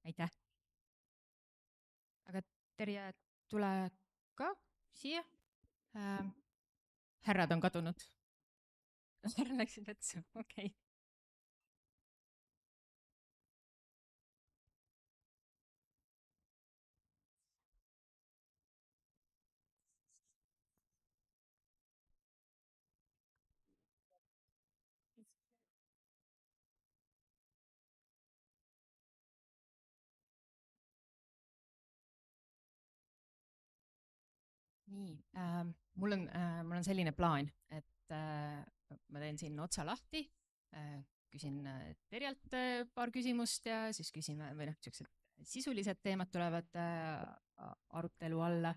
aitäh. Aga Terje, tule ka siia. Härrad on kadunud. Härra läksid vetsu, okei. Nii, mul on selline plaan, et ma teen siin otsa lahti, küsin Terjalt paar küsimust ja siis küsime, või noh, siuksed sisulised teemad tulevad arutelu alla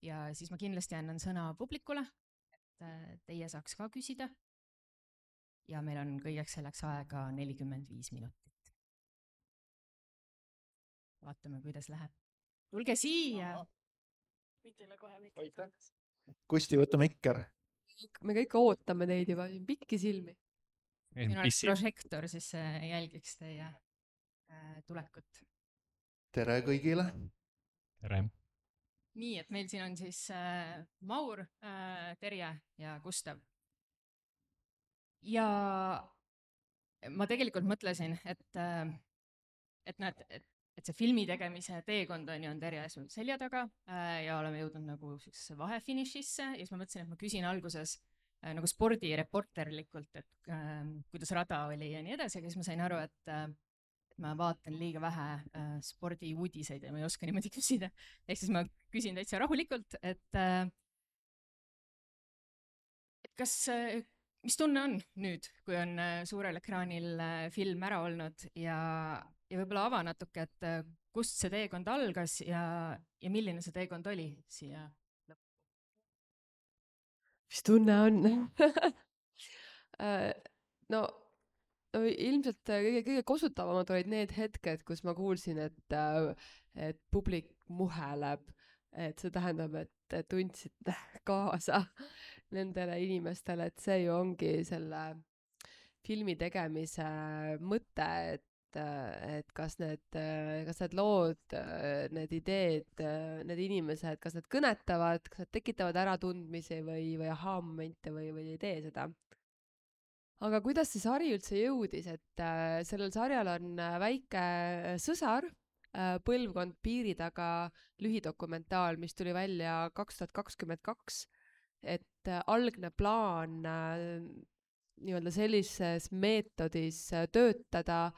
ja siis ma kindlasti annan sõna publikule, et teie saaks ka küsida. Ja meil on kõigeks selleks aega 45 minutit. Vaatame, kuidas läheb. Tulge siia! Aitäh. Kusti, võta mikker. Me kõik ootame teid juba, pikki silmi. Siin oleks prožektor, siis jälgiks teie tulekut. Tere kõigile. Tere. Nii, et meil siin on siis Maur, Terje ja Gustav. Ja ma tegelikult mõtlesin, et näed, et see filmi tegemise teekond on Terje sul selja taga ja oleme jõudnud nagu vahefinišisse ja siis ma mõtlesin, et ma küsin alguses nagu spordireporterlikult, et kuidas rada oli ja nii edasi, aga siis ma sain aru, et ma vaatan liiga vähe spordiuudiseid ja ma ei oska niimoodi küsida. Ehk siis ma küsin täitsa rahulikult, et mis tunne on nüüd, kui on suurel ekraanil film ära olnud ja võib-olla ava natuke, et kust see teekond algas ja milline see teekond oli siia lõppu? Mis tunne on? No ilmselt kõige kosutavamad olid need hetked, kus ma kuulsin, et publik muheleb, et see tähendab, et tundsid kaasa nendele inimestele, et see ju ongi selle filmi tegemise mõte, et kas need lood, need ideed, need inimesed, kas need kõnetavad, kas need tekitavad äratundmisi või ahaa-momente või ei tee seda. Aga kuidas see sari üldse jõudis, et sellel sarjal on väike sõsar, Põlvkond piiri taga lühidokumentaal, mis tuli välja 2022, et algne plaan nii-öelda sellises meetodis töötada,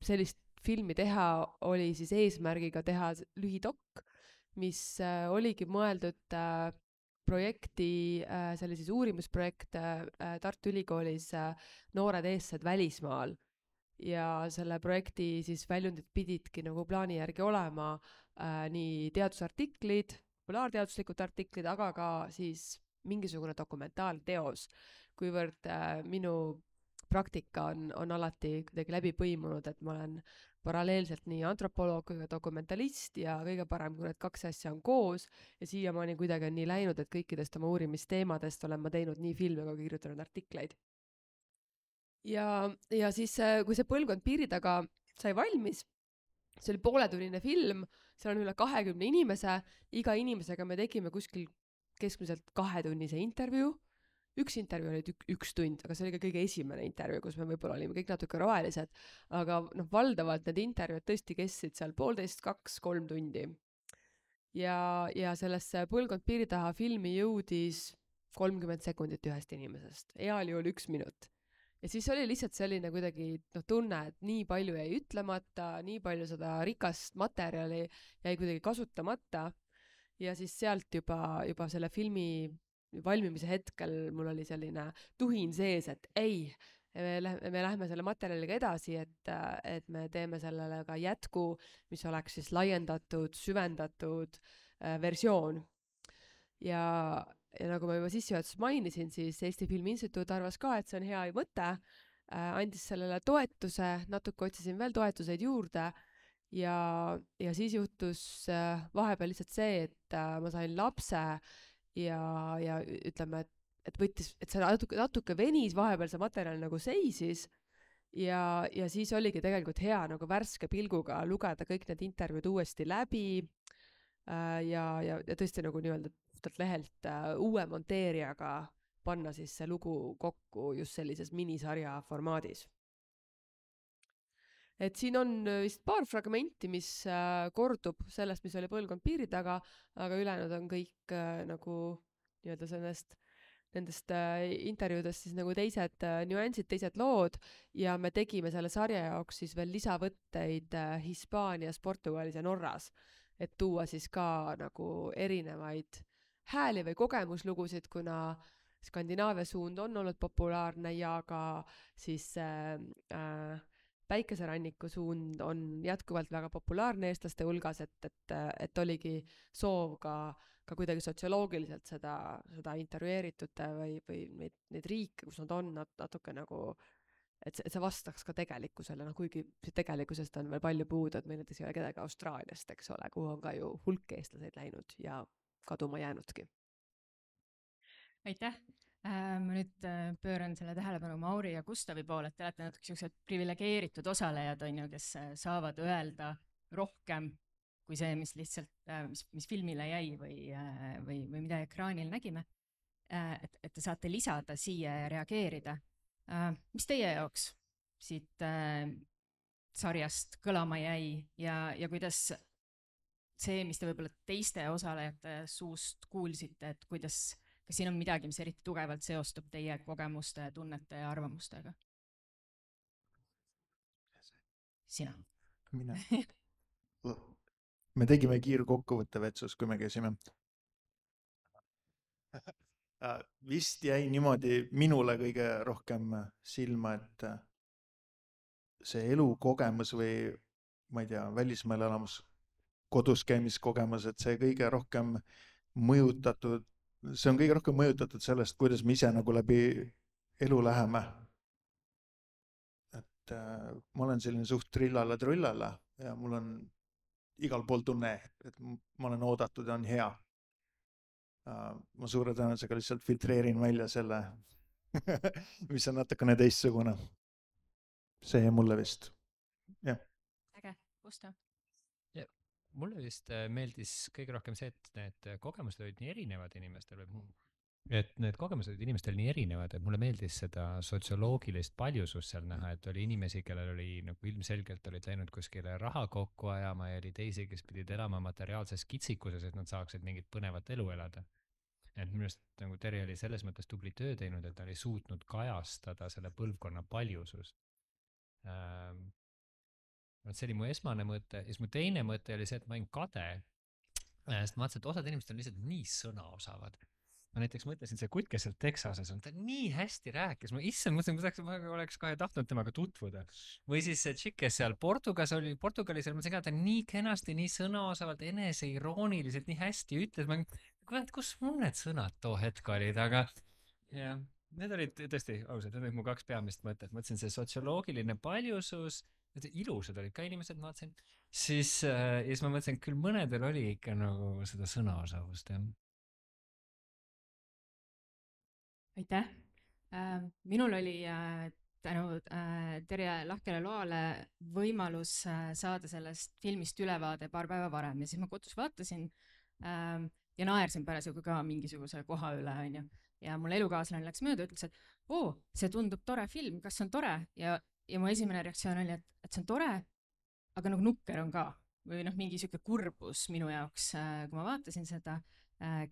sellist filmi teha oli siis eesmärgiga teha lühidokk, mis oligi mõeldud projekti, see oli siis uurimusprojekt Tartu Ülikoolis Noored eestlased välismaal. Ja selle projekti siis väljundid pididki nagu plaani järgi olema nii teadusartiklid, populaarteaduslikud artiklid, aga ka siis mingisugune dokumentaalteos, kuivõrd minu praktika on alati kuidagi läbi põimunud, et ma olen paralleelselt nii antropoloog kui ka dokumentalist ja kõige parem, kui need kaks asja on koos ja siiamaani kuidagi on nii läinud, et kõikidest oma uurimisteemadest olen ma teinud nii filme kui kirjutanud artikleid. Ja siis, kui see Põlvkond piiri taga sai valmis, see oli pooletunnine film, seal on üle 20 inimese, iga inimesega me tegime kuskil keskmiselt 2-tunnise intervjuu. Üks intervjuu oli 1 tund, aga see oli ka kõige esimene intervjuu, kus me võib-olla olime kõik natuke rohelised, aga valdavalt need intervjuud tõesti kestsid seal 1,5, 2, 3 tundi. Ja sellesse Põlvkond piiri taha filmi jõudis 30 sekundit ühest inimesest, heal juhul 1 minut. Ja siis oli lihtsalt selline kuidagi tunne, et nii palju jäi ütlemata, nii palju seda rikast materjali jäi kuidagi kasutamata ja siis sealt juba selle filmi valmimise hetkel mul oli selline tuhin sees, et ei, me lähme selle materjaliga edasi, et me teeme sellele ka jätku, mis oleks siis laiendatud, süvendatud versioon. Ja nagu ma juba sissejuhatuses mainisin, siis Eesti Filmi Instituut arvas ka, et see on hea mõte, andis sellele toetuse, natuke otsisin veel toetuseid juurde ja siis juhtus vahepeal lihtsalt see, et ma sain lapse ja ütleme, et see natuke venis, vahepeal see materjal nagu seisis ja siis oligi tegelikult hea nagu värske pilguga lugeda kõik need intervjuud uuesti läbi ja tõesti nagu nii-öelda puhtalt lehelt uue monteerijaga panna siis see lugu kokku just sellises minisarja formaadis. Et siin on vist paar fragmenti, mis kordub sellest, mis oli Põlvkond piiri taga, aga ülejäänud on kõik nagu nii-öelda nendest intervjuudest siis nagu teised nüansid, teised lood ja me tegime selle sarja jaoks siis veel lisavõtteid Hispaanias, Portugalis ja Norras, et tuua siis ka nagu erinevaid hääli või kogemuslugusid, kuna Skandinaavia suund on olnud populaarne ja ka siis Päikeseranniku suund on jätkuvalt väga populaarne eestlaste hulgas, et oligi soov ka kuidagi sotsioloogiliselt seda intervjueeritute või neid riike, kus nad on natuke nagu, et see vastaks ka tegelikkusele, kuigi tegelikkusest on veel palju puudu, et meil näiteks ei ole kedagi Austraaliast, eks ole, kuhu on ka ju hulk eestlaseid läinud ja kaduma jäänudki. Aitäh! Ma nüüd pööran selle tähelepanu Mauri ja Gustavi poole, et te olete natuke sellised privilegeeritud osalejad, on ju, kes saavad öelda rohkem kui see, mis lihtsalt, mis filmile jäi või mida ekraanil nägime. Et te saate lisada siia ja reageerida. Mis teie jaoks siit sarjast kõlama jäi ja kuidas see, mis te võib-olla teiste osalejate suust kuulsite, et kas siin on midagi, mis eriti tugevalt seostub teie kogemuste, tunnete ja arvamustega? Sina. Mina. Me tegime kiirkokkuvõtte Vetsus, kui me käisime. Vist jäi niimoodi minule kõige rohkem silma, et see elukogemus või ma ei tea, välismaal elamus, kodus käimiskogemus, et see kõige rohkem mõjutatud, see on kõige rohkem mõjutatud sellest, kuidas me ise nagu läbi elu läheme. Et ma olen selline suht trillala-trullala ja mul on igal pool tunne, et ma olen oodatud ja on hea. Ma suure tõenäosusega lihtsalt filtreerin välja selle, mis on natukene teistsugune. See ja mulle vist. Jah. Äge, Gustav? Mulle vist meeldis kõige rohkem see, et need kogemused olid nii erinevad inimestel et need kogemused olid inimestel nii erinevad, et mulle meeldis seda sotsioloogilist paljusust seal näha, et oli inimesi, kellel oli nagu ilmselgelt olid läinud kuskile raha kokku ajama ja oli teisi, kes pidid elama materiaalses kitsikuses, et nad saaksid mingit põnevat elu elada. Et minu arust nagu Terje oli selles mõttes tubli töö teinud, et ta oli suutnud kajastada selle põlvkonna paljusust. See oli mu esmane mõte ja siis mu teine mõte oli see, et ma olin kade, sest ma vaatasin, et osad inimesed on lihtsalt nii sõnaosavad. Ma näiteks mõtlesin, see kutt, kes seal Texases on, ta nii hästi rääkis, ma mõtlesin, ma oleks kohe tahtnud temaga tutvuda. Või siis see tšikk, kes seal Portugalis oli, ma mõtlesin ka, ta nii kenasti, nii sõnaosavalt, eneseirooniliselt, nii hästi ütles, ma kurat, kus mul need sõnad too hetk olid, aga jah, need olid tõesti ausalt, need olid mu kaks peamist mõtet, mõtlesin see sotsioloogiline paljusus, ilusad olid ka inimesed, ma vaatasin, siis ma mõtlesin, et küll mõnedel oli ikka nagu seda sõnaosavust, jah. Aitäh! Minul oli tänu Terje lahkele loale võimalus saada sellest filmist ülevaade paar päeva varem ja siis ma kodus vaatasin ja naersin parasjagu ka mingisuguse koha üle, on ju. Ja mul elukaaslane läks mööda, ütles, et see tundub tore film, kas on tore? Ja mu esimene reaktsioon oli, et see on tore, aga nagu nukker on ka. Või mingi siuke kurbus minu jaoks, kui ma vaatasin seda,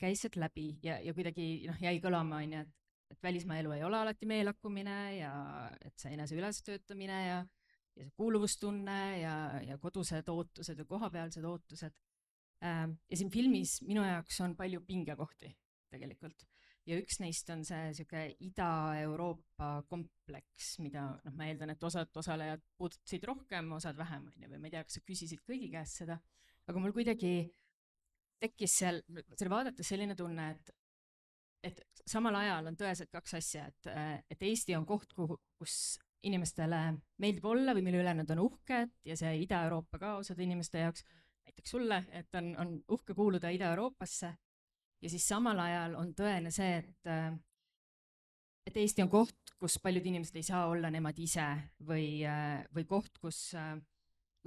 käis sealt läbi ja kuidagi jäi kõlama, on ju, et välismaa elu ei ole alati meelakkumine ja et see enese ülestöötamine ja see kuuluvustunne ja kodused ootused ja kohapealsed ootused. Ja siin filmis minu jaoks on palju pingekohti tegelikult. Ja üks neist on see siuke Ida-Euroopa kompleks, mida ma eeldan, et osad osalejad puudutasid rohkem, osad vähem, või ma ei tea, kas sa küsisid kõigi käest seda, aga mul kuidagi tekkis seal vaadates selline tunne, et samal ajal on tõeselt kaks asja, et Eesti on koht, kus inimestele meeldib olla või mille üle nad on uhked ja see Ida-Euroopa ka osade inimeste jaoks, näiteks sulle, et on uhke kuuluda Ida-Euroopasse. Ja siis samal ajal on tõene see, et et Eesti on koht, kus paljud inimesed ei saa olla nemad ise või koht, kus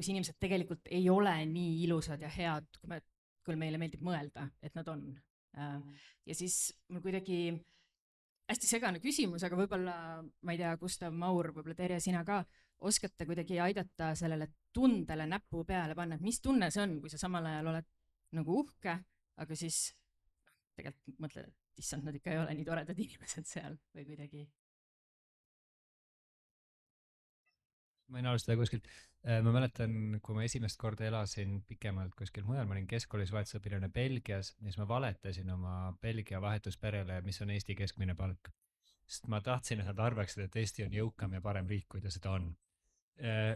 inimesed tegelikult ei ole nii ilusad ja head, kui meile meeldib mõelda, et nad on. Ja siis mul kuidagi hästi segane küsimus, aga võib-olla, ma ei tea, Gustav, Maur, võib-olla Terje, sina ka oskate kuidagi aidata sellele tundele näpu peale panna, et mis tunne see on, kui sa samal ajal oled nagu uhke, aga siis tegelikult mõtled, et issand, nad ikka ei ole nii toredad inimesed seal või kuidagi. Ma võin alustada kuskilt. Ma mäletan, kui ma esimest korda elasin pikemalt kuskil mujal, ma olin keskkoolis vahetusõpilane Belgias ja siis ma valetasin oma Belgia vahetusperele, mis on Eesti keskmine palk. Sest ma tahtsin, et nad arvaksid, et Eesti on jõukam ja parem riik, kui ta seda on.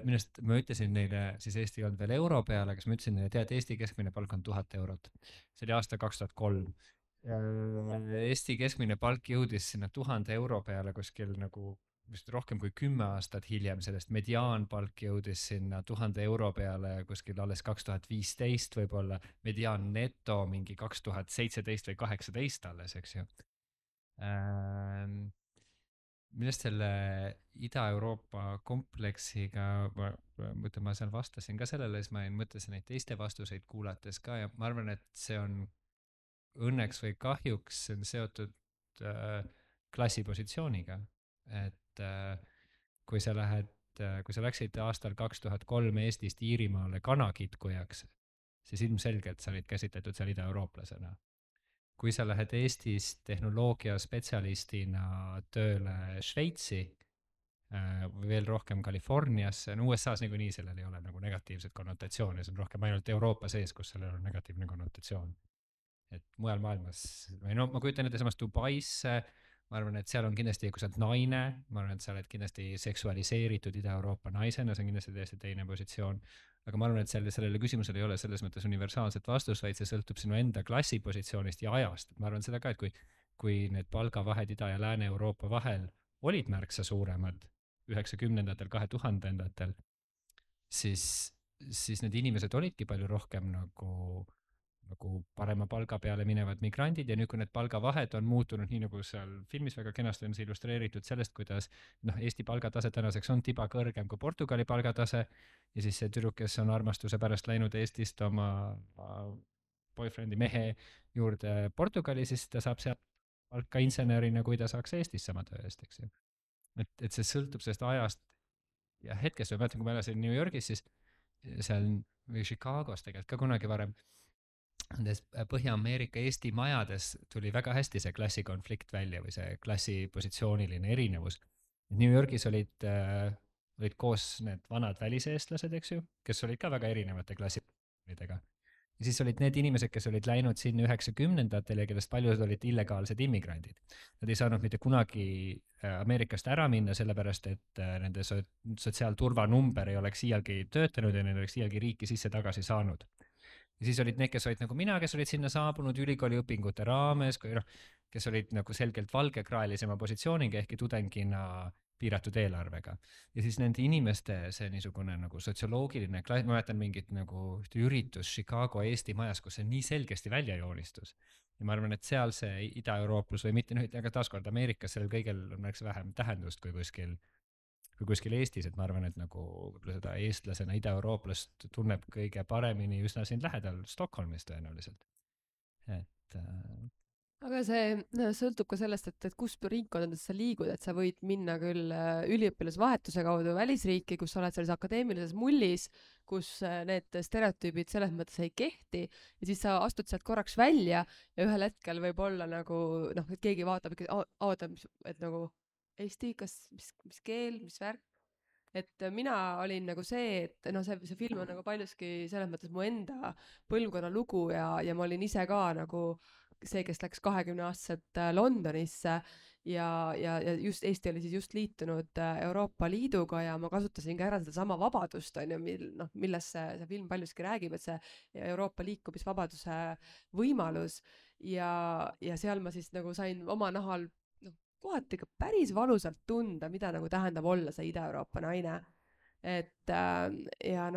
Minust ma ütlesin neile, siis Eesti ei olnud veel euro peale, aga ma ütlesin neile, tead, Eesti keskmine palk on 1000 eurot. See oli aasta 2003. Eesti keskmine palk jõudis sinna 1000 euro peale kuskil nagu vist rohkem kui 10 aastat hiljem, sellest mediaanpalk jõudis sinna 1000 euro peale kuskil alles 2015 võib-olla, mediaan neto mingi 2017 või 2018 alles, eks ju. Millest selle Ida-Euroopa kompleksiga, ma seal vastasin ka sellele, siis ma mõtlesin neid teiste vastuseid kuulates ka ja ma arvan, et see on õnneks või kahjuks on seotud klassipositsiooniga, et kui sa läksid aastal 2003 Eestist Iirimaale kanakitkujaks, siis ilmselgelt sa olid käsitletud seal ida-eurooplasena. Kui sa lähed Eestist tehnoloogiaspetsialistina tööle Šveitsi või veel rohkem Californiasse, no USA-s niikuinii sellel ei ole nagu negatiivset konnotatsiooni, see on rohkem ainult Euroopa sees, kus sellel on negatiivne konnotatsioon. Et mujal maailmas, või no ma kujutan ette samas Dubaisse, ma arvan, et seal on kindlasti, kui sa oled naine, ma arvan, et sa oled kindlasti seksualiseeritud Ida-Euroopa naisena, see on kindlasti täiesti teine positsioon. Aga ma arvan, et sellele küsimusele ei ole selles mõttes universaalset vastust, vaid see sõltub sinu enda klassipositsioonist ja ajast. Ma arvan seda ka, et kui need palgavahed Ida- ja Lääne-Euroopa vahel olid märksa suuremad 90-ndatel, 2000-ndatel, siis need inimesed olidki palju rohkem nagu parema palga peale minevad migrandid ja nüüd, kui need palgavahed on muutunud nii, nagu seal filmis väga kenasti on see illustreeritud sellest, kuidas Eesti palgatase tänaseks on tiba kõrgem kui Portugali palgatase ja siis see tüdruk, kes on armastuse pärast läinud Eestist oma boyfriend'i mehe juurde Portugali, siis ta saab seal palka insenerina, kui ta saaks Eestis sama töö eest, eks ju. Et see sõltub sellest ajast ja hetkest, ma mäletan, kui ma elasin New Yorgis, siis seal või Chicagos tegelikult ka kunagi varem nendes Põhja-Ameerika Eesti majades tuli väga hästi see klassikonflikt välja või see klassipositsiooniline erinevus. New Yorgis olid koos need vanad väliseestlased, eks ju, kes olid ka väga erinevate klassipositsioonidega. Ja siis olid need inimesed, kes olid läinud sinna 90-ndatel ja kellest paljud olid illegaalsed immigrandid. Nad ei saanud mitte kunagi Ameerikast ära minna, sellepärast et nende sotsiaalturvanumber ei oleks iialgi töötanud ja neil oleks iialgi riiki sisse tagasi saanud. Ja siis olid need, kes olid nagu mina, kes olid sinna saabunud ülikooli õpingute raames, kes olid nagu selgelt valgekraelisema positsiooniga ehk tudengina piiratud eelarvega. Ja siis nende inimeste see niisugune nagu sotsioloogiline klass, ma mäletan mingit nagu üritus Chicago Eesti majas, kus see nii selgesti välja joonistus. Ja ma arvan, et seal see ida-eurooplus või mitte, aga taaskord Ameerikas sellel kõigel on märksa vähem tähendust kui kuskil Eestis, et ma arvan, et nagu seda eestlasena ida-eurooplast tunneb kõige paremini üsna siin lähedal Stockholmis tõenäoliselt. Aga see sõltub ka sellest, et kus ringkondades sa liigud, et sa võid minna küll üliõpilasvahetuse kaudu välisriiki, kus sa oled selles akadeemilises mullis, kus need stereotüübid selles mõttes ei kehti ja siis sa astud sealt korraks välja ja ühel hetkel võib olla nagu et keegi vaatab ikka, et nagu Eesti, mis keel, mis värk, et mina olin nagu see, et see film on nagu paljuski selles mõttes mu enda põlvkonna lugu ja ma olin ise ka nagu see, kes läks 20-aastaselt Londonisse ja just Eesti oli siis just liitunud Euroopa Liiduga ja ma kasutasin ka ära seda sama vabadust, millest see film paljuski räägib, et see Euroopa liikumisvabaduse võimalus ja seal ma siis nagu sain oma nahal kohati ka päris valusalt tunda, mida nagu tähendab olla see Ida-Euroopa naine. Et ja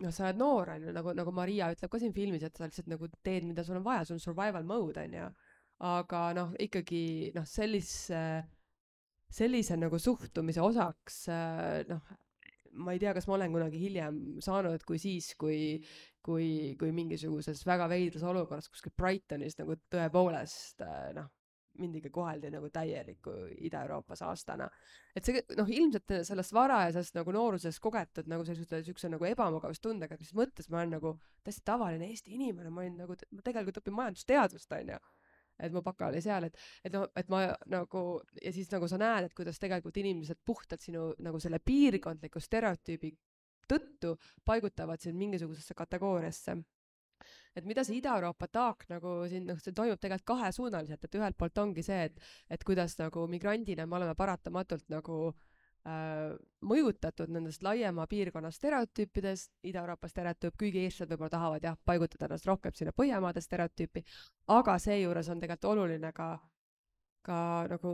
sa oled noor, nagu Maria ütleb ka siin filmis, et sa lihtsalt nagu teed, mida sul on vaja, sul on survival mode, on ju. Aga ikkagi sellise sellise nagu suhtumise osaks, noh, ma ei tea, kas ma olen kunagi hiljem saanud, kui siis, kui mingisuguses väga veidras olukorras kuskil Brightonis nagu tõepoolest, noh, mindiga koheldi nagu täieliku Ida-Euroopa saastana. Et see, noh, ilmselt sellest varajasest nagu noorusest kogetud nagu sellise nagu ebamugavustundega, mis mõttes ma olen nagu täiesti tavaline Eesti inimene, ma olin nagu, ma tegelikult õpin majandusteadust, on ju. Et mu baka oli seal, et noh, et ma nagu, ja siis nagu sa näed, et kuidas tegelikult inimesed puhtalt sinu nagu selle piirkondliku stereotüübi tõttu paigutavad sind mingisugusesse kategooriasse. Et mida see Ida-Euroopa taak nagu siin, noh, see toimub tegelikult kahesuunaliselt, et ühelt poolt ongi see, et kuidas nagu migrandina me oleme paratamatult nagu mõjutatud nendest laiema piirkonna stereotüüpidest, Ida-Euroopa stereotüüp, kuigi eestlased võib-olla tahavad jah, paigutada ennast rohkem sinna Põhjamaade stereotüüpi, aga seejuures on tegelikult oluline ka nagu,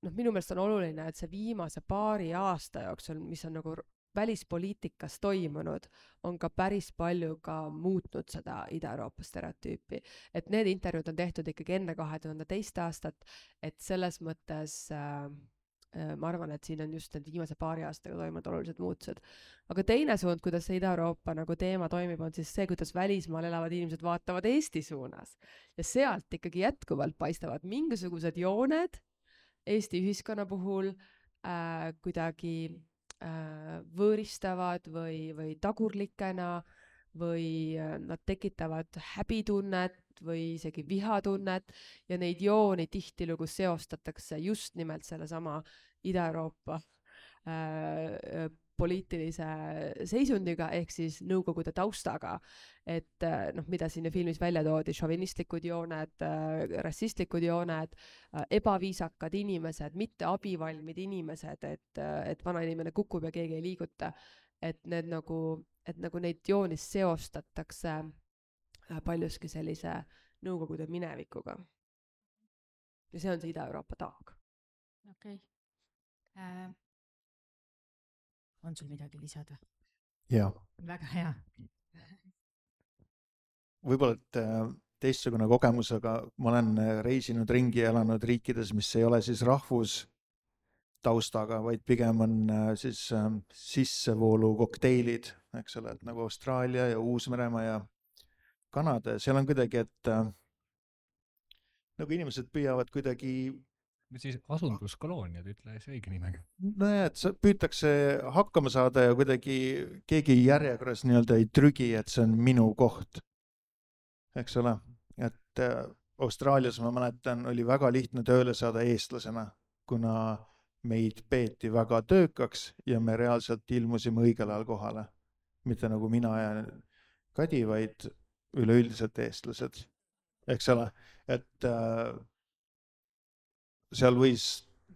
noh, minu meelest on oluline, et see viimase paari aasta jooksul, mis on nagu välispoliitikas toimunud, on ka päris palju ka muutnud seda Ida-Euroopa stereotüüpi. Et need intervjuud on tehtud ikkagi enne 2002 aastat, et selles mõttes ma arvan, et siin on just need viimase paari aastaga toimunud olulised muutused. Aga teine suund, kuidas see Ida-Euroopa nagu teema toimib, on siis see, kuidas välismaal elavad inimesed vaatavad Eesti suunas. Ja sealt ikkagi jätkuvalt paistavad mingisugused jooned Eesti ühiskonna puhul kuidagi võõristavad või tagurlikena või nad tekitavad häbitunnet või isegi vihatunnet ja neid jooni tihtilugu seostatakse just nimelt sellesama Ida-Euroopa poliitilise seisundiga ehk siis Nõukogude taustaga, et noh, mida siin filmis välja toodi, šovinistlikud jooned, rassistlikud jooned, ebaviisakad inimesed, mitte abivalmid inimesed, et vana inimene kukub ja keegi ei liiguta, et need nagu neid joonist seostatakse paljuski sellise Nõukogude minevikuga. Ja see on see Ida-Euroopa taak. Okei. On sul midagi lisada? Jaa. Väga hea. Võib-olla, et teistsugune kogemus, aga ma olen reisinud ringi ja elanud riikides, mis ei ole siis rahvustaustaga, vaid pigem on siis sissevoolu kokteilid, eks ole, et nagu Austraalia ja Uus-Meremaa ja Kanada. Seal on kuidagi, et nagu inimesed püüavad kuidagi siis asunduskolooniad, ütle see õige nimega. Nojah, et püütakse hakkama saada ja kuidagi keegi järjekorras nii-öelda ei trügi, et see on minu koht. Eks ole, et Austraalias ma mäletan, oli väga lihtne tööle saada eestlasena, kuna meid peeti väga töökaks ja me reaalselt ilmusime õigel ajal kohale. Mitte nagu mina ja Kadi, vaid üleüldiselt eestlased. Eks ole, et seal võis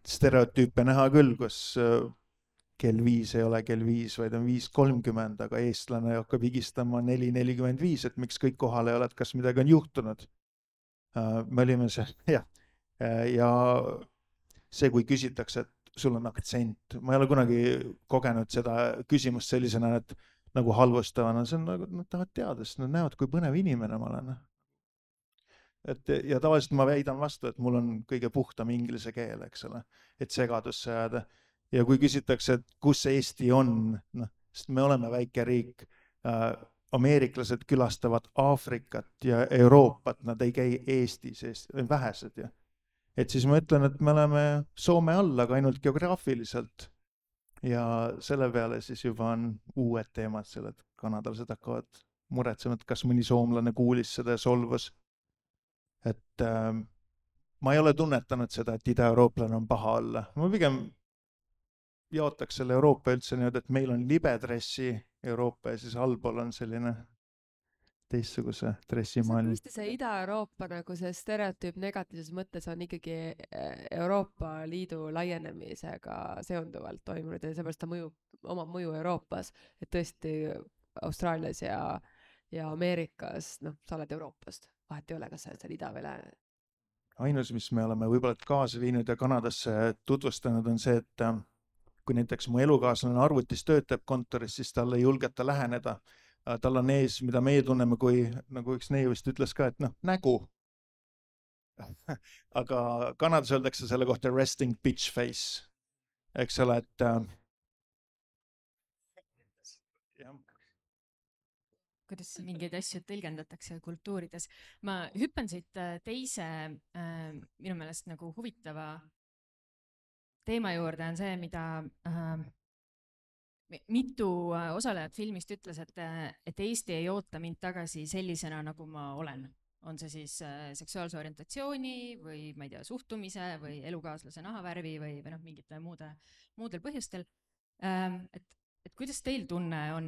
stereotüüpe näha küll, kus kell 5 ei ole kell 5, vaid on 5:30, aga eestlane hakkab higistama 4:45, et miks kõik kohal ei ole, et kas midagi on juhtunud. Me olime seal, jah. Ja see, kui küsitakse, et sul on aktsent, ma ei ole kunagi kogenud seda küsimust sellisena, et nagu halvustavana, see on nagu, nad tahavad teada, sest nad näevad, kui põnev inimene ma olen. Ja tavaliselt ma väidan vastu, et mul on kõige puhtam inglise keel, eks ole, et segadusse jääda. Ja kui küsitakse, et kus Eesti on, noh, sest me oleme väike riik, ameeriklased külastavad Aafrikat ja Euroopat, nad ei käi Eestis, vähesed. Ja. Et siis ma ütlen, et me oleme Soome all, aga ainult geograafiliselt. Ja selle peale siis juba on uued teemad seal, et kanadalased hakkavad muretsema, et kas mõni soomlane kuulis seda ja solvus. Et ma ei ole tunnetanud seda, et ida-eurooplane on paha olla. Ma pigem jaotaks selle Euroopa üldse nii, et meil on libedressi Euroopa ja siis allpool on selline teistsuguse dressimaailm. See Ida-Euroopa nagu see stereotüüp negatiivses mõttes on ikkagi Euroopa Liidu laienemisega seonduvalt toimunud ja seepärast ta omab mõju Euroopas, et tõesti Austraalias ja Ameerikas, noh, sa oled Euroopast. Vahet ei ole, kas sa oled seal ida või lääne. Ainus, mis me oleme võib-olla kaasa viinud ja Kanadasse tutvustanud, on see, et kui näiteks mu elukaaslane arvutis töötab kontoris, siis talle ei julgeta läheneda. Tal on ees, mida meie tunneme, kui nagu üks neiu vist ütles ka, et noh, nägu. Aga Kanadas öeldakse selle kohta resting bitch face. eks ole, et jah. kuidas mingeid asju tõlgendatakse kultuurides. Ma hüppan siit teise minu meelest nagu huvitava teema juurde on see, mida mitu osalejat filmist ütles, et Eesti ei oota mind tagasi sellisena, nagu ma olen. On see siis seksuaalse orientatsiooni või ma ei tea, suhtumise või elukaaslase nahavärvi või noh, mingite muudel põhjustel. Et kuidas teil tunne on,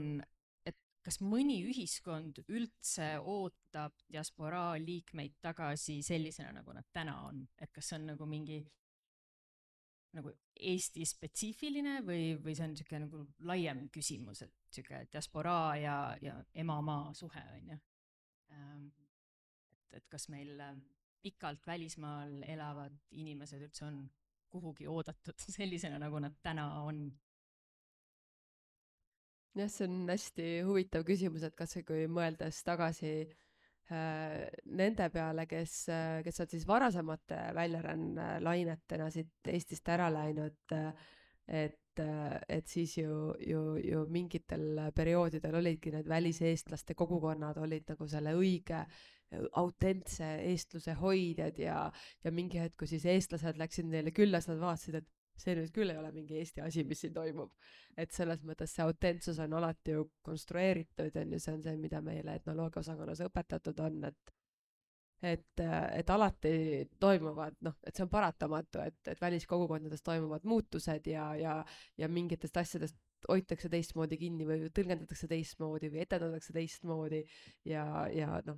et kas mõni ühiskond üldse ootab diasporaa liikmeid tagasi sellisena, nagu nad täna on? Et kas see on nagu mingi nagu Eesti spetsiifiline või see on niisugune nagu laiem küsimus, et niisugune diasporaa ja emamaa suhe on ju. Et kas meil pikalt välismaal elavad inimesed üldse on kuhugi oodatud sellisena, nagu nad täna on? Jah, see on hästi huvitav küsimus, et kas kui mõeldes tagasi nende peale, kes on siis varasemate väljaränne lainetena siit Eestist ära läinud, et siis ju mingitel perioodidel olidki need väliseestlaste kogukonnad olid nagu selle õige autentse eestluse hoidjad ja mingi hetk, kui siis eestlased läksid neile külla, siis nad vaatasid, et see nüüd küll ei ole mingi Eesti asi, mis siin toimub. Et selles mõttes see autentsus on alati ju konstrueeritud ja see on see, mida meile etnoloogia osakonnas õpetatud on, et alati toimuvad, noh, et see on paratamatu, et väliskogukondades toimuvad muutused ja mingitest asjadest hoitakse teistmoodi kinni või tõlgendatakse teistmoodi või etendatakse teistmoodi ja noh,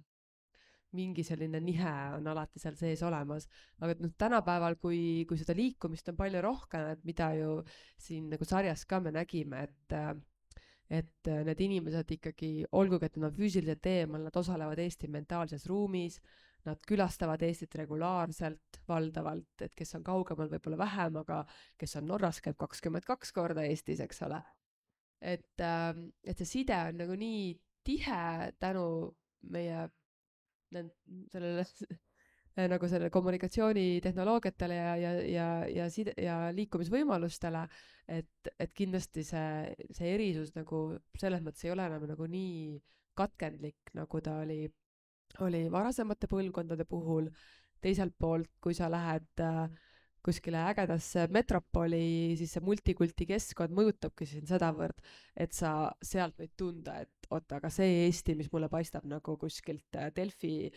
mingi selline nihe on alati seal sees olemas. Aga noh, tänapäeval, kui seda liikumist on palju rohkem, et mida ju siin nagu sarjas ka me nägime, et need inimesed ikkagi, olgugi, et nad on füüsiliselt eemal, nad osalevad Eesti mentaalses ruumis, nad külastavad Eestit regulaarselt, valdavalt, et kes on kaugemal võib-olla vähem, aga kes on Norras, käib 22 korda Eestis, eks ole. Et see side on nagu nii tihe tänu meie sellele nagu selle kommunikatsioonitehnoloogiatele ja liikumisvõimalustele, et kindlasti see erisus nagu selles mõttes ei ole enam nagu nii katkendlik, nagu ta oli varasemate põlvkondade puhul. Teiselt poolt, kui sa lähed kuskile ägedasse metropoli, siis see multikulti keskkond mõjutabki siin sedavõrd, et sa sealt võid tunda, et oota, aga see Eesti, mis mulle paistab nagu kuskilt Delfi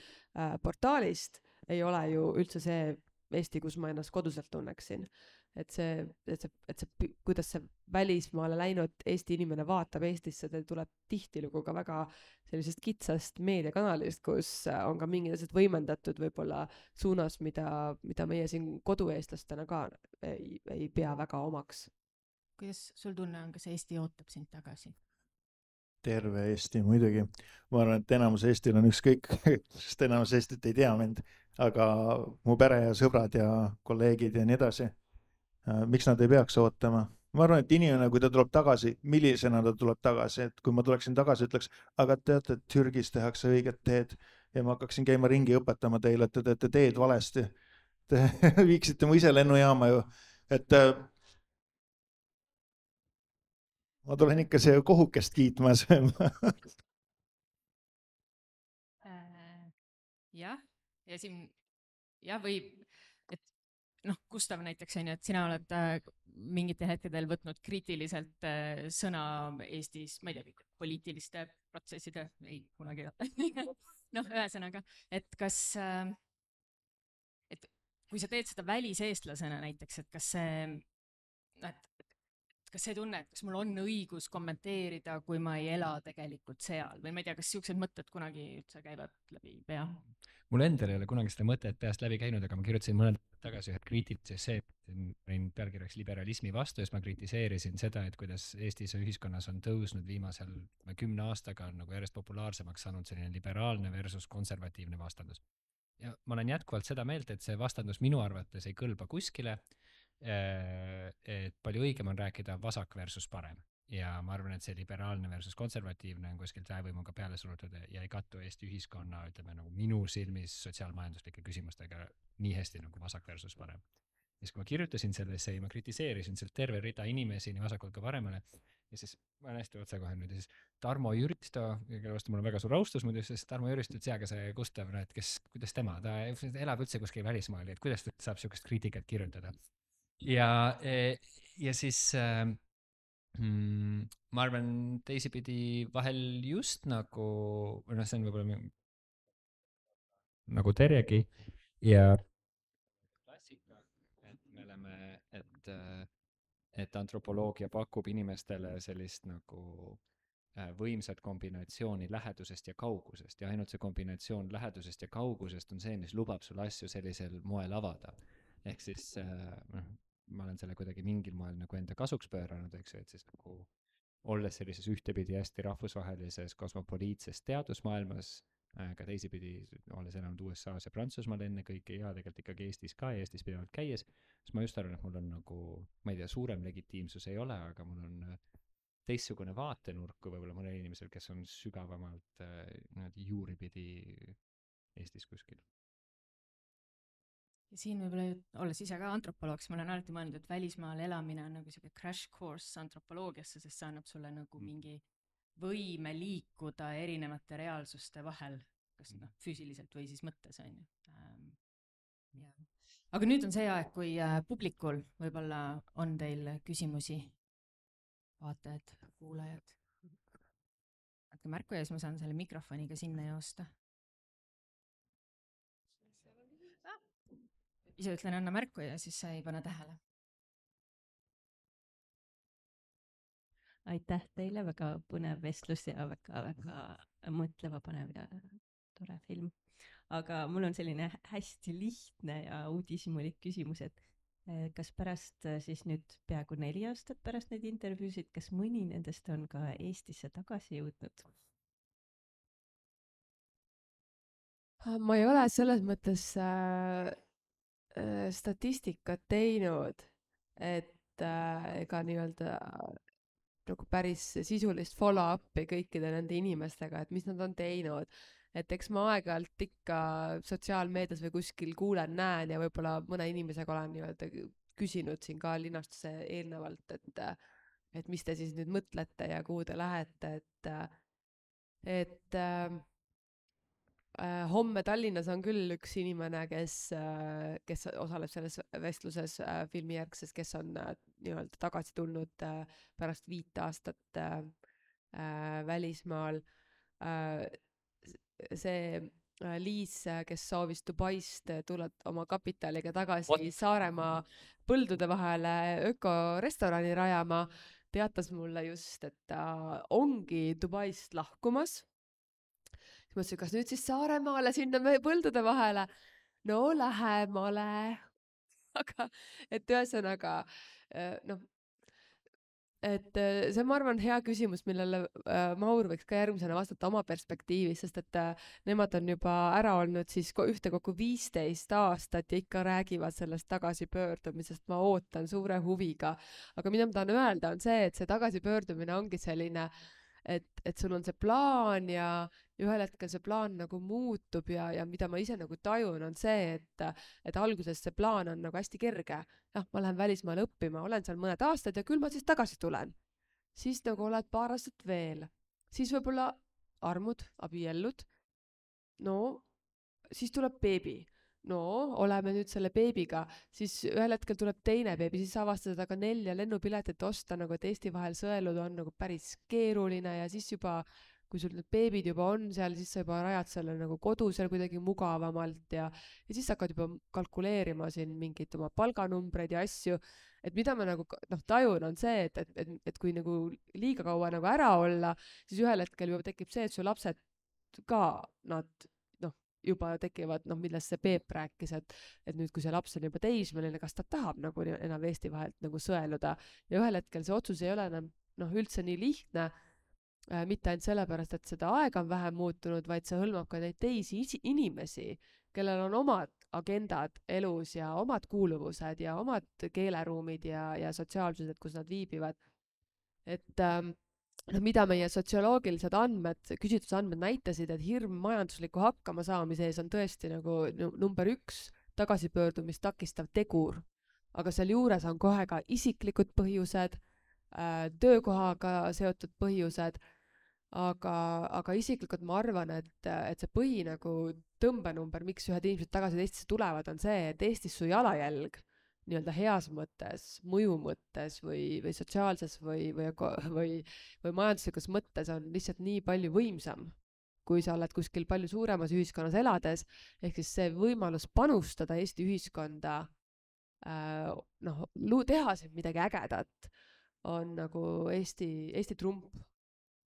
portaalist, ei ole ju üldse see Eesti, kus ma ennast koduselt tunneksin. Et see, kuidas see välismaale läinud Eesti inimene vaatab Eestisse, ta tuleb tihtilugu ka väga sellisest kitsast meediakanalist, kus on ka mingid asjad võimendatud võib-olla suunas, mida meie siin kodueestlastena ka ei pea väga omaks. Kuidas sul tunne on, kas Eesti ootab sind tagasi? Terve Eesti muidugi. Ma arvan, et enamus Eestil on ükskõik, sest enamus Eestit ei tea mind, aga mu pere ja sõbrad ja kolleegid ja nii edasi. Miks nad ei peaks ootama? Ma arvan, et inimene, kui ta tuleb tagasi, millisena ta tuleb tagasi, et kui ma tuleksin tagasi, ütleks, aga teate, et Türgis tehakse õiget teed ja ma hakkaksin käima ringi õpetama teile, et te teete teed valesti. Te viiksite mu ise lennujaama ju, et ma tulen ikka see kohukest kiitma sööma. Jah, ja siin või et noh, Gustav näiteks on ju, et sina oled mingitel hetkedel võtnud kriitiliselt sõna Eestis, ma ei tea, poliitiliste protsesside, ei kunagi noh, ühesõnaga, et kas et kui sa teed seda väliseestlasena näiteks, et kas see tunne, et kas mul on õigus kommenteerida, kui ma ei ela tegelikult seal või ma ei tea, kas siuksed mõtted kunagi üldse käivad läbi pea? Mul endal ei ole kunagi seda mõtet peast läbi käinud, aga ma kirjutasin mõned tagasi ühe kriitilise essee, olin pealkirjaks liberalismi vastu ja siis ma kritiseerisin seda, et kuidas Eestis ühiskonnas on tõusnud viimasel 10 aastaga on nagu järjest populaarsemaks saanud selline liberaalne versus konservatiivne vastandus. Ja ma olen jätkuvalt seda meelt, et see vastandus minu arvates ei kõlba kuskile, et palju õigem on rääkida vasak versus parem. Ja ma arvan, et see liberaalne versus konservatiivne on kuskilt väevõimuga peale surutud ja ei kattu Eesti ühiskonna, ütleme nagu minu silmis sotsiaalmajanduslike küsimustega nii hästi nagu vasak versus parem. ja siis kui ma kirjutasin sellesse ja ma kritiseerisin sealt terve rida inimesi nii vasakult kui paremale ja siis ma olen hästi otsekohene nüüd ja siis Tarmo Jüristo, kelle vastu mul on väga suur austus muidu, siis Tarmo Jüristo ütles, aga see Gustav, no et kuidas tema, ta elab üldse kuskil välismaal, et kuidas ta saab sihukest kriitikat kirjutada. Ja siis ma arvan teisipidi vahel just nagu, või noh, see on võib-olla nagu Terjegi ja klassika, et me oleme, et antropoloogia pakub inimestele sellist nagu võimsat kombinatsiooni lähedusest ja kaugusest ja ainult see kombinatsioon lähedusest ja kaugusest on see, mis lubab sul asju sellisel moel avada. Ehk siis ma olen selle kuidagi mingil moel nagu enda kasuks pööranud, eks ju, et siis nagu olles sellises ühtepidi hästi rahvusvahelises kosmopoliitses teadusmaailmas, ka teisipidi olles elanud USA-s ja Prantsusmaal enne kõike ja tegelikult ikkagi Eestis ka ja Eestis pidevalt käies, siis ma just arvan, et mul on nagu, ma ei tea, suurem legitiimsus ei ole, aga mul on teistsugune vaatenurk kui võib-olla mõnel inimesel, kes on sügavamalt juuripidi Eestis kuskil. Ja siin võib-olla, olles ise ka antropoloog, siis ma olen alati mõelnud, et välismaal elamine on nagu selline crash course antropoloogiasse, sest see annab sulle nagu mingi võime liikuda erinevate reaalsuste vahel, kas füüsiliselt või siis mõttes, on ju. Aga nüüd on see aeg, kui publikul võib-olla on teil küsimusi, vaatajad, kuulajad. Andke märku ja siis ma saan selle mikrofoniga sinna joosta. Ise ütlen anna märku ja siis sa ei pane tähele. Aitäh teile, väga põnev vestlus ja väga mõtleva panev ja tore film. Aga mul on selline hästi lihtne ja uudishimulik küsimus, et kas pärast siis nüüd peaaegu 4 aastat pärast neid intervjuusid, kas mõni nendest on ka Eestisse tagasi jõudnud? Ma ei ole selles mõttes statistikat teinud, et ega nii-öelda nagu päris sisulist follow-up'i kõikide nende inimestega, et mis nad on teinud. Et eks ma aeg-ajalt ikka sotsiaalmeedias või kuskil kuulen, näen ja võib-olla mõne inimesega olen nii-öelda küsinud siin ka linastuse eelnevalt, et mis te siis nüüd mõtlete ja kuhu te lähete, et homme Tallinnas on küll üks inimene, kes osaleb selles vestluses filmijärgses, kes on nii-öelda tagasi tulnud pärast 5 aastat välismaal. See Liis, kes soovis Dubaist tulla oma kapitaliga tagasi Saaremaa põldude vahele ökorestorani rajama, teatas mulle just, et ta ongi Dubaist lahkumas. Ma mõtlesin, kas nüüd siis Saaremaale sinna põldude vahele? No lähemale. Aga, et ühesõnaga, et see, ma arvan, hea küsimus, millele Maur võiks ka järgmisena vastata oma perspektiivis, sest et nemad on juba ära olnud siis ühtekokku 15 aastat ja ikka räägivad sellest tagasipöördumisest. Ma ootan suure huviga. Aga mida ma tahan öelda on see, et see tagasipöördumine ongi selline, et sul on see plaan ja ühel hetkel see plaan nagu muutub ja mida ma ise nagu tajun on see, et alguses see plaan on nagu hästi kerge. Jah, ma lähen välismaale õppima, olen seal mõned aastad ja küll ma siis tagasi tulen. Siis nagu oled paar aastat veel. Siis võib-olla armud, abiellud. No, siis tuleb beebi. No, oleme nüüd selle beebiga, siis ühel hetkel tuleb teine beebi, siis avastad aga 4 lennupiletit osta, nagu et Eesti vahel sõeluda on nagu päris keeruline ja siis juba, kui sul need beebid juba on seal, siis sa juba rajad selle nagu kodu seal kuidagi mugavamalt ja siis hakkad juba kalkuleerima siin mingid oma palganumbreid ja asju, et mida ma nagu tajun on see, et kui nagu liiga kaua nagu ära olla, siis ühel hetkel juba tekib see, et su lapsed ka nad juba tekivad, millest see Peep rääkis, et nüüd, kui see laps on juba teismeline, kas ta tahab nagu enam Eesti vahelt nagu sõeluda ja ühel hetkel see otsus ei ole enam üldse nii lihtne, mitte ainult sellepärast, et seda aega on vähem muutunud, vaid see hõlmab ka neid teisi inimesi, kellel on omad agendad elus ja omad kuuluvused ja omad keeleruumid ja sotsiaalsused, kus nad viibivad. Et mida meie sotsioloogilised andmed, küsitlusandmed näitasid, et hirm majandusliku hakkama saamise ees on tõesti nagu number 1 tagasipöördumist takistav tegur. aga sealjuures on kohe ka isiklikud põhjused, töökohaga seotud põhjused, aga isiklikult ma arvan, et see põhi nagu tõmbenumber, miks ühed inimesed tagasi Eestisse tulevad, on see, et Eestis su jalajälg nii-öelda heas mõttes, mõju mõttes või sotsiaalses või majanduslikus mõttes on lihtsalt nii palju võimsam, kui sa oled kuskil palju suuremas ühiskonnas elades, ehk siis see võimalus panustada Eesti ühiskonda, teha siin midagi ägedat, on nagu Eesti trump.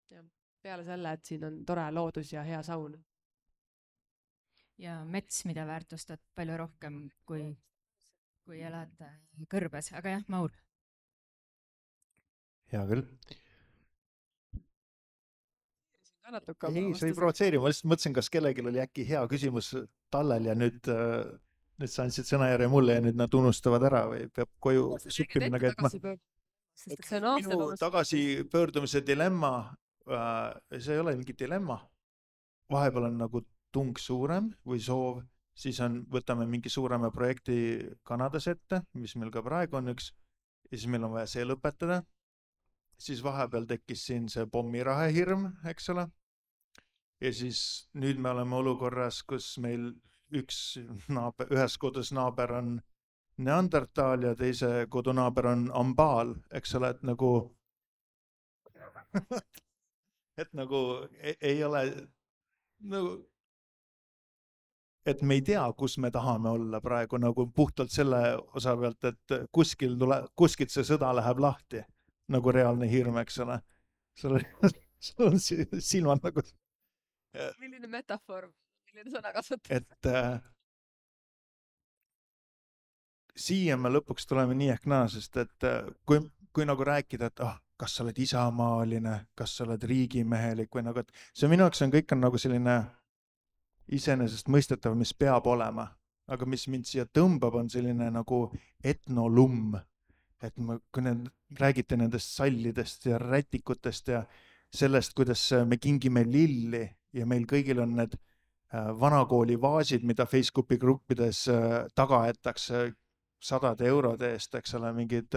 Ja peale selle, et siin on tore loodus ja hea saun. Ja mets, mida väärtustad palju rohkem, kui elad kõrbes, aga jah, Maur. Hea küll. Ei, see ei provotseeri, ma lihtsalt mõtlesin, kas kellelgi oli äkki hea küsimus tallel ja nüüd sa andsid sõnajärje mulle ja nüüd nad unustavad ära või peab koju suppi minna käitma. Minu tagasipöördumise dilemma, see ei ole mingi dilemma. Vahepeal on nagu tung suurem või soov, siis võtame mingi suurema projekti Kanadas ette, mis meil ka praegu on üks, ja siis meil on vaja see lõpetada. Siis vahepeal tekkis siin see pommirahe hirm, eks ole. Ja siis nüüd me oleme olukorras, kus meil ühes kodus naaber on Neandertal ja teise kodunaaber on ambaal, eks ole, et nagu ei ole nagu, et me ei tea, kus me tahame olla praegu nagu puhtalt selle osa pealt, et kuskilt see sõda läheb lahti, nagu reaalne hirm, eks ole. Sul on silmad nagu... Milline metafoor, milline sõna kasutus? Et siia me lõpuks tuleme nii ehk naa, sest et kui nagu rääkida, et kas sa oled isamaaline, kas sa oled riigimehelik või nagu, et see minu jaoks kõik on nagu selline iseenesest mõistetav, mis peab olema, aga mis mind siia tõmbab, on selline nagu etnolumm, et kui räägite nendest sallidest ja rätikutest ja sellest, kuidas me kingime lilli ja meil kõigil on need vanakooli vaasid, mida Facebooki gruppides taga jätakse 100 eurode eest, eks ole, mingid,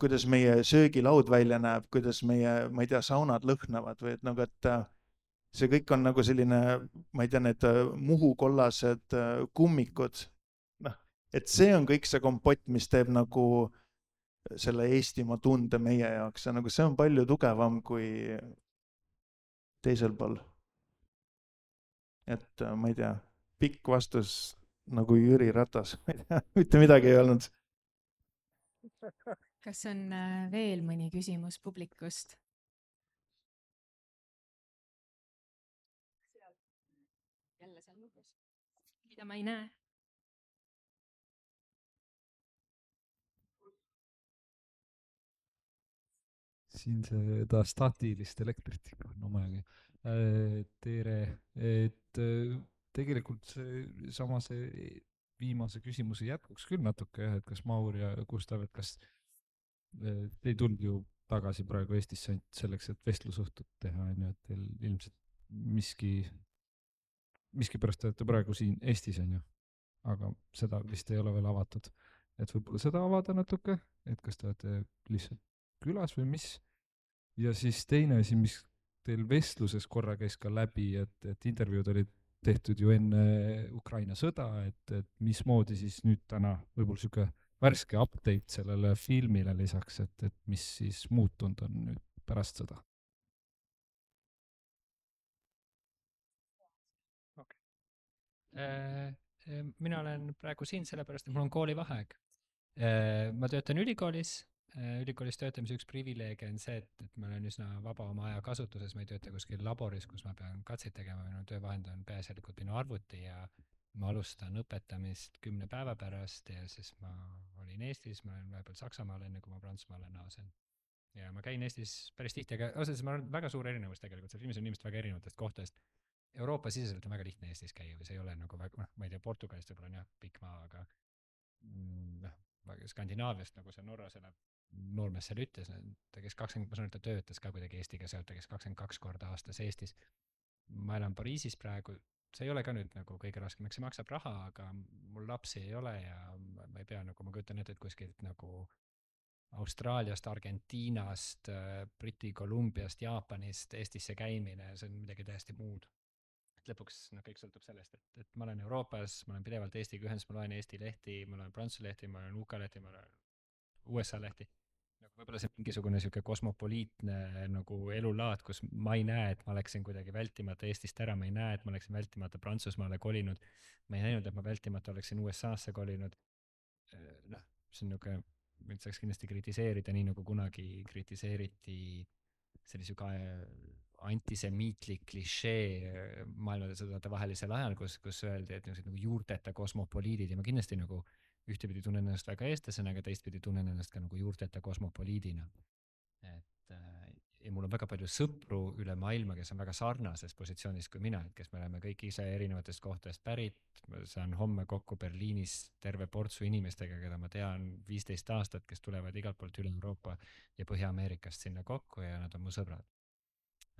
kuidas meie söögilaud välja näeb, kuidas meie, ma ei tea, saunad lõhnavad või et nagu, et see kõik on nagu selline, ma ei tea, need muhukollased kummikud, et see on kõik see kompott, mis teeb nagu selle Eestimaa tunde meie jaoks ja nagu see on palju tugevam kui teisel pool. Et ma ei tea, pikk vastus nagu Jüri Ratas, mitte midagi ei olnud. Kas on veel mõni küsimus publikust? Jälle seal nurgas, mida ma ei näe. Siin seda staatilist elektrit ikka on omajaga. Tere, et tegelikult see viimase küsimuse jätkuks küll natuke, et kas Maur ja Gustav, et kas te ei tulnud ju tagasi praegu Eestisse selleks, et vestlusõhtut teha, et teil ilmselt miski pärast te olete praegu siin Eestis, aga seda vist ei ole veel avatud. Et võib-olla seda avada natuke, et kas te olete lihtsalt külas või mis? Ja siis teine asi, mis teil vestluses korra käis ka läbi, et intervjuud olid tehtud ju enne Ukraina sõda, et mismoodi siis nüüd täna võib-olla siuke värske update sellele filmile lisaks, et mis siis muutunud on nüüd pärast sõda? Mina olen praegu siin sellepärast, et mul on koolivaheaeg. Ma töötan ülikoolis töötamise üks privileege on see, et ma olen üsna vaba oma aja kasutuses, ma ei tööta kuskil laboris, kus ma pean katseid tegema, minu töövahend on peaasjalikult minu arvuti ja ma alustan õpetamist 10 päeva pärast ja siis ma olin Eestis, ma olen vahepeal Saksamaal enne, kui ma Prantsusmaale naasen. Ja ma käin Eestis päris tihti, aga osades ma olen väga suur erinevus tegelikult, see filmis on inimesed väga erinevatest kohtadest. Euroopa siseselt on väga lihtne Eestis käia või see ei ole nagu väga, ma ei tea, Portugalist võib-olla on jah pikk maa, aga Skandinaaviast nagu see Norras elab noormees seal ütles, ta kes 20, ma saan, et ta töötas ka kuidagi Eestiga sealt, ta kes 22 korda aastas Eestis. Ma elan Pariisis praegu, see ei ole ka nüüd nagu kõige raskem, eks see maksab raha, aga mul lapsi ei ole ja ma ei pea nagu, ma kujutan ette, et kuskilt nagu Austraaliast, Argentiinast, Briti Kolumbiast, Jaapanist Eestisse käimine, see on midagi täiesti muud. Et lõpuks kõik sõltub sellest, et ma olen Euroopas, ma olen pidevalt Eestiga ühendas, ma loen Eesti lehti, ma loen Prantsuse lehti, ma loen UK lehti, ma loen USA lehti. Nagu võib-olla see mingisugune siuke kosmopoliitne nagu elulaad, kus ma ei näe, et ma oleksin kuidagi vältimata Eestist ära, ma ei näe, et ma oleksin vältimata Prantsusmaale kolinud, ma ei näinud, et ma vältimata oleksin USAsse kolinud. Noh, see on niuke, mind saaks kindlasti kritiseerida, nii nagu kunagi kritiseeriti sellise ka antisemiitlik klišee maailmasõdade vahelisel ajal, kus öeldi, et nagu juurteta kosmopoliidid ja ma kindlasti nagu ühtepidi tunnen ennast väga eestlasena, aga teistpidi tunnen ennast ka nagu juurteta kosmopoliidina. Ja mul on väga palju sõpru üle maailma, kes on väga sarnases positsioonis kui mina, et kes me oleme kõik ise erinevatest kohtadest pärit, ma saan homme kokku Berliinis terve portsu inimestega, keda ma tean 15 aastat, kes tulevad igalt poolt üle Euroopa ja Põhja-Ameerikast sinna kokku ja nad on mu sõbrad.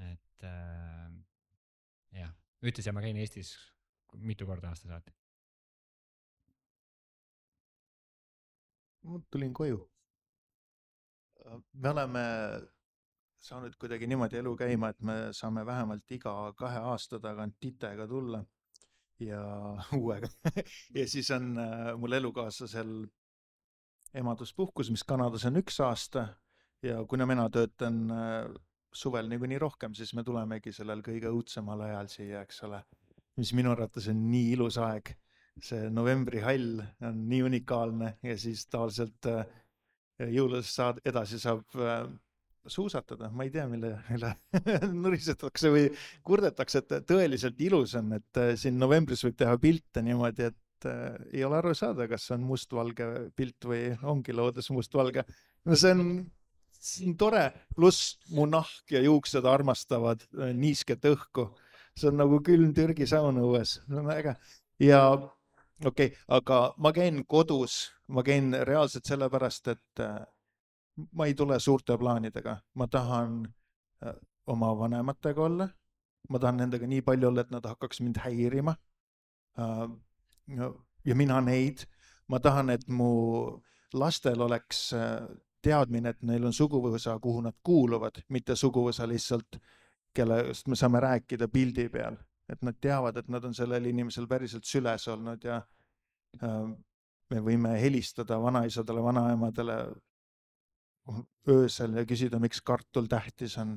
Et jah, ütlesin, ma käin Eestis mitu korda aasta saati. Ma tulin koju. Me oleme saanud kuidagi niimoodi elu käima, et me saame vähemalt iga 2 aasta tagant titega tulla ja uuega. Ja siis on mul elukaaslasel emaduspuhkus, mis Kanadas on 1 aasta ja kuna mina töötan suvel niikuinii rohkem, siis me tulemegi sellel kõige õudsemal ajal siia, eks ole, mis minu arvates on nii ilus aeg. See novembri hall on nii unikaalne ja siis tavaliselt jõulusest edasi saab suusatada. Ma ei tea, mille nurisetakse või kurdetakse, et tõeliselt ilus on, et siin novembris võib teha pilte niimoodi, et ei ole aru saada, kas on mustvalge pilt või ongi loodes mustvalge. No see on tore, pluss mu nahk ja juuksed armastavad niisket õhku. See on nagu külm Türgi saun õues. See on äge. Ja okei, aga ma käin kodus, ma käin reaalselt sellepärast, et ma ei tule suurte plaanidega. Ma tahan oma vanematega olla, ma tahan nendega nii palju olla, et nad hakkaks mind häirima ja mina neid. Ma tahan, et mu lastel oleks teadmine, et neil on suguvõsa, kuhu nad kuuluvad, mitte suguvõsa lihtsalt, kellest me saame rääkida pildi peal. Et nad teavad, et nad on sellel inimesel päriselt süles olnud ja me võime helistada vanaisadele, vanaemadele öösel ja küsida, miks kartul tähtis on,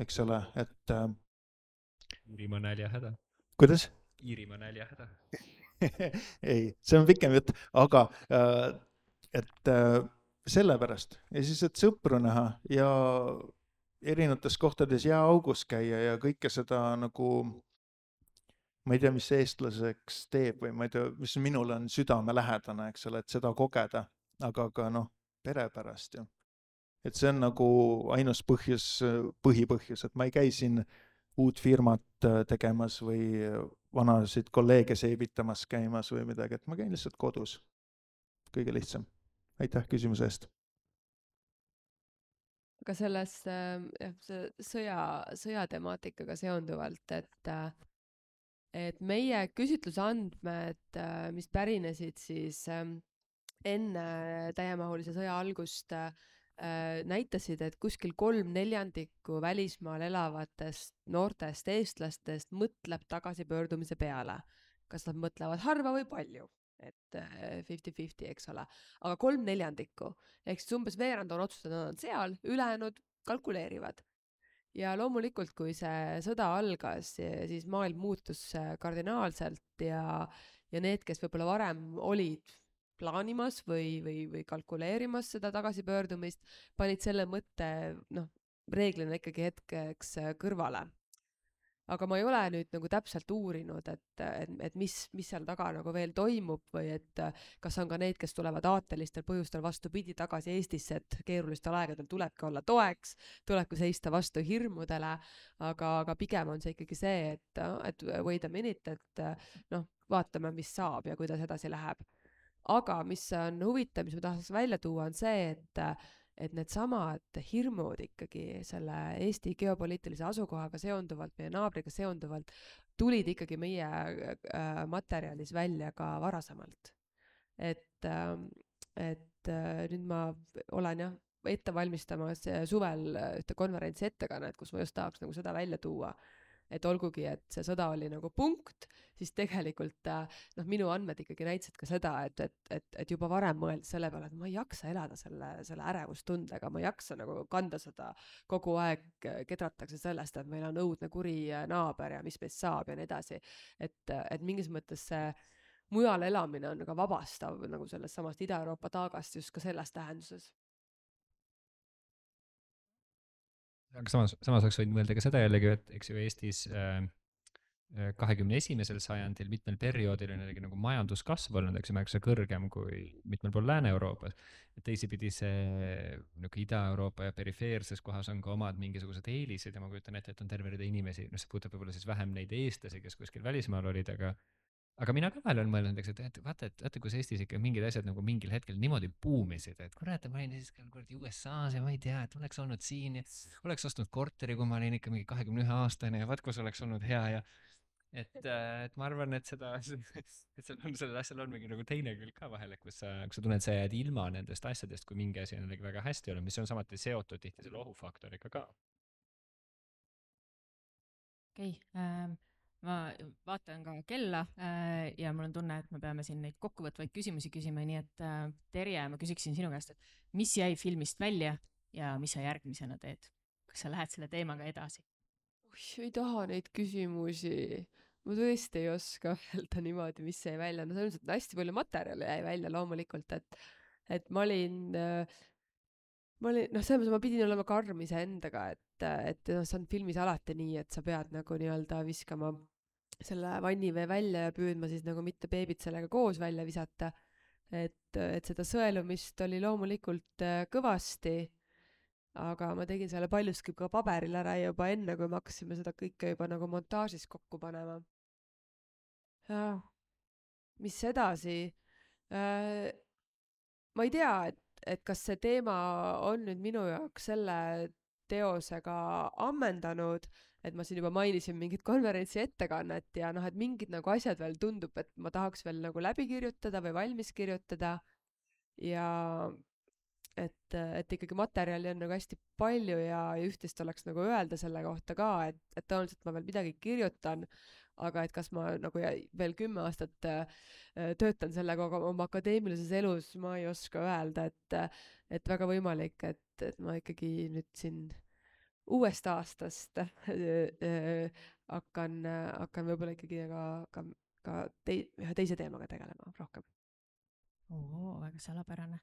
eks ole, et Iirimaa näljahäda. Kuidas? Iirimaa näljahäda. Ei, see on pikem jutt, aga et sellepärast ja siis, et sõpru näha ja erinevates kohtades jääaugus käia ja kõike seda nagu ma ei tea, mis eestlaseks teeb või ma ei tea, mis minul on südamelähedane, eks ole, et seda kogeda, aga ka pere pärast ju. Et see on nagu ainus põhipõhjus, et ma ei käi siin uut firmat tegemas või vanasid kolleege seibitamas käimas või midagi, et ma käin lihtsalt kodus. Kõige lihtsam. Aitäh küsimuse eest. Aga selles sõjatemaatikaga seonduvalt, et meie küsitlusandmed, mis pärinesid siis enne täiemahulise sõja algust, näitasid, et kuskil 3/4 välismaal elavatest noortest eestlastest mõtleb tagasipöördumise peale. Kas nad mõtlevad harva või palju? Et 50-50, eks ole. Aga 3/4, ehk siis umbes veerand on otsustanud, nad on seal, ülejäänud kalkuleerivad. Ja loomulikult, kui see sõda algas, siis maailm muutus kardinaalselt ja need, kes võib-olla varem olid plaanimas või kalkuleerimas seda tagasipöördumist, panid selle mõtte reeglina ikkagi hetkeks kõrvale. Aga ma ei ole nüüd nagu täpselt uurinud, et mis seal taga nagu veel toimub või et kas on ka neid, kes tulevad aatelistel põhjustel vastupidi tagasi Eestisse, et keerulistel aegadel tulebki olla toeks, tulebki seista vastu hirmudele, aga pigem on see ikkagi see, et wait a minute, et vaatame, mis saab ja kuidas edasi läheb. Aga mis on huvitav, mis ma tahaks välja tuua, on see, et needsamad hirmud ikkagi selle Eesti geopoliitilise asukohaga seonduvalt, meie naabriga seonduvalt, tulid ikkagi meie materjalis välja ka varasemalt. Et nüüd ma olen jah ette valmistamas suvel ühte konverentsi ettekannet, kus ma just tahaks nagu seda välja tuua, et olgugi, et see sõda oli nagu punkt, siis tegelikult minu andmed ikkagi näitasid ka seda, et juba varem mõelda selle peale, et ma ei jaksa elada selle ärevustundega, ma ei jaksa nagu kanda seda kogu aeg, kedratakse sellest, et meil on õudne kuri naaber ja mis meist saab ja nii edasi. Et mingis mõttes see mujal elamine on ka vabastav nagu sellest samast Ida-Euroopa taagast just ka selles tähenduses. Aga samas oleks võinud mõelda ka seda jällegi, et eks ju Eestis 21. sajandil mitmel perioodil on jällegi nagu majanduskasv olnud, eks ju, märksa kõrgem kui mitmel pool Lääne-Euroopas. Et teisipidi see nagu Ida-Euroopa ja perifeerses kohas on ka omad mingisugused eelised ja ma kujutan ette, et on terve rida inimesi, see puudutab võib-olla siis vähem neid eestlasi, kes kuskil välismaal olid, aga mina ka vahel olen mõelnud, et vaata, kus Eestis ikka mingid asjad nagu mingil hetkel niimoodi buumisid, et kurat, ma olin siis kuradi USA-s ja ma ei tea, et oleks olnud siin ja oleks ostnud korteri, kui ma olin ikka mingi 21-aastane ja vaat kus oleks olnud hea ja et ma arvan, et sellel asjal on mingi nagu teine külg ka vahel, et kus sa tunned, sa jääd ilma nendest asjadest, kui mingi asi on väga hästi olnud, mis on samuti seotud tihti selle ohufaktoriga ka. Okei, ma vaatan ka kella ja mul on tunne, et me peame siin neid kokkuvõtvaid küsimusi küsima, nii et Terje, ma küsiksin sinu käest, et mis jäi filmist välja ja mis sa järgmisena teed? Kas sa lähed selle teemaga edasi? Ei taha neid küsimusi. Ma tõesti ei oska öelda niimoodi, mis jäi välja. No selles mõttes, et hästi palju materjali jäi välja loomulikult, et ma olin, selles mõttes ma pidin olema karm iseendaga, et see on filmis alati nii, et sa pead nagu nii-öelda viskama selle vannivee välja ja püüdma siis nagu mitte beebit sellega koos välja visata. Et seda sõelumist oli loomulikult kõvasti, aga ma tegin selle paljuski ka paberil ära juba enne, kui me hakkasime seda kõike juba nagu montaažis kokku panema. Mis edasi? Ma ei tea, et kas see teema on nüüd minu jaoks selle teosega ammendanud, et ma siin juba mainisin mingit konverentsi ettekannet ja et mingid nagu asjad veel tundub, et ma tahaks veel nagu läbi kirjutada või valmis kirjutada ja et ikkagi materjali on nagu hästi palju ja üht-teist oleks nagu öelda selle kohta ka, et tõenäoliselt ma veel midagi kirjutan, aga et kas ma nagu veel 10 aastat töötan sellega oma akadeemilises elus, ma ei oska öelda, et väga võimalik, et ma ikkagi nüüd siin uuest aastast hakkan võib-olla ikkagi ka ühe teise teemaga tegelema rohkem. Väga salapärane.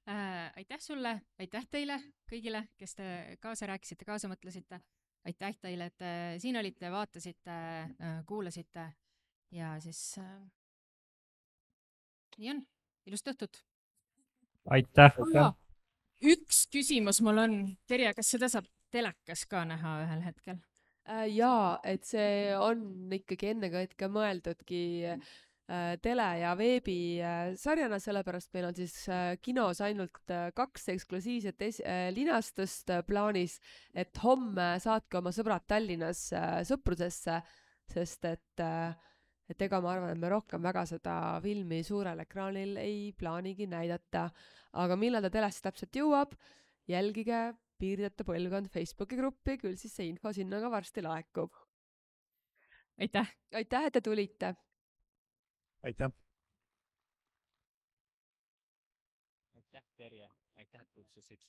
Aitäh sulle, aitäh teile kõigile, kes te kaasa rääkisite, kaasa mõtlesite. Aitäh teile, et siin olite, vaatasite, kuulasite ja siis nii on. Ilust õhtut. Aitäh! Üks küsimus mul on. Terje, kas seda saab telekas ka näha ühel hetkel? Jaa, et see on ikkagi ennekõike mõeldudki tele- ja veebisarjana, sellepärast meil on siis kinos ainult 2 eksklusiivset linastust plaanis, et homme saatke oma sõbrad Tallinnas sõprusesse, sest et ega ma arvan, et me rohkem väga seda filmi suurel ekraanil ei plaanigi näidata, aga millal ta telesse täpselt jõuab, jälgige Piirideta põlvkond Facebooki gruppi, küll siis see info sinna ka varsti laekub. Aitäh! Aitäh, et te tulite! Aitäh! Aitäh, Terje! Aitäh, et kutsusid!